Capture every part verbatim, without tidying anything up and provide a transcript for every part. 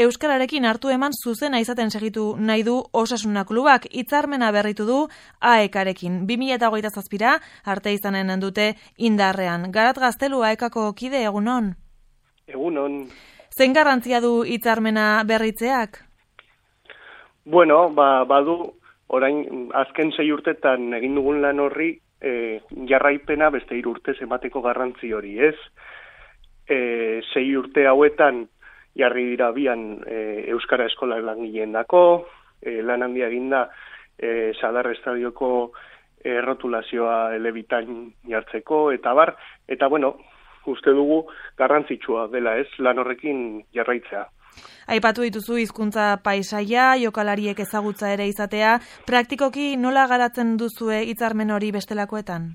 euskararekin hartu eman zuzena izaten segitu nahi du Osasuna klubak. Hitzarmena berritu du A E K-arekin. bi mila hogeita zazpira arte izanen dute indarrean. Garat Gaztelu A E K-ko kide, egunon? Egunon. Zein garrantzia du hitzarmena berritzeak? Bueno, ba, badu, orain azken sei urtetan egin dugun lan horri e, jarraipena beste hiru urtez emateko garrantzi hori, ez? E, sei urte hauetan jarri dira bian e, Euskara Eskola langileen dako, e, lan handia eginda e, Sadar Estadioko errotulazioa elebitain jartzeko, eta bar, eta bueno, uste dugu garrantzitsua dela, ez, lan horrekin jarraitzea. Aipatu dituzu hizkuntza paisaia, jokalariek ezagutza ere izatea, praktikoki nola garatzen duzue hitzarmen hori bestelakoetan?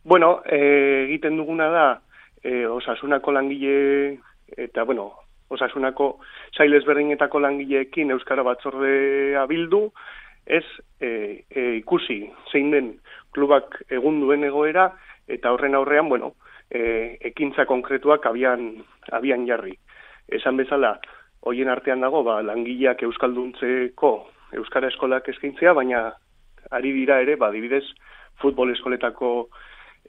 Bueno, e, egiten duguna da, e, Osasunako langile, eta bueno, Osasunako sail ezberdinetako langileekin Euskara Batzordea bildu, ez e, e, ikusi zein den klubak egun duen egoera, eta horren aurrean, bueno, e, ekintza konkretuak abian, abian jarri. Esan bezala, hoien artean dago, ba, langileak euskalduntzeko Euskara Eskolak eskaintzea, baina ari dira ere, ba, adibidez, futbol eskoletako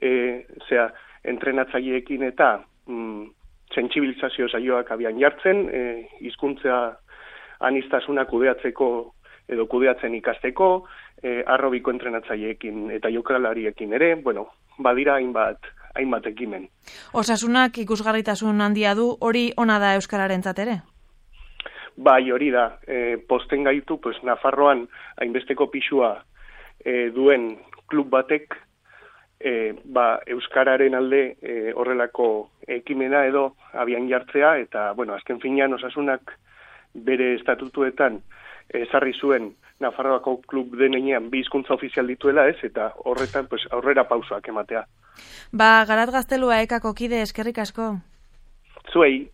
e, zera, entrenatzaileekin eta mm, sentsibilizazio saioak abian jartzen, e, hizkuntza aniztasuna kudeatzeko edo kudeatzen ikasteko, e, arrobiko entrenatzaileekin eta jokalariekin ere, bueno, badira hainbat, hainbat ekimen. Osasunak ikusgarritasun handia du, hori ona da euskararentzat ere? Bai, hori da. E, posten gaitu, pues, Nafarroan hainbesteko pisua e, duen klub batek, e, ba, euskararen alde e, horrelako ekimena edo abian jartzea, eta, bueno, azken finean Osasunak bere estatutuetan ezarri zuen Nafarroako klub denean bi hizkuntza ofizial dituela, ez, eta horretan pues, aurrera pausoak ematea. Ba, Garat Gaztelu A E K-ko kide, eskerrik asko. Zuei.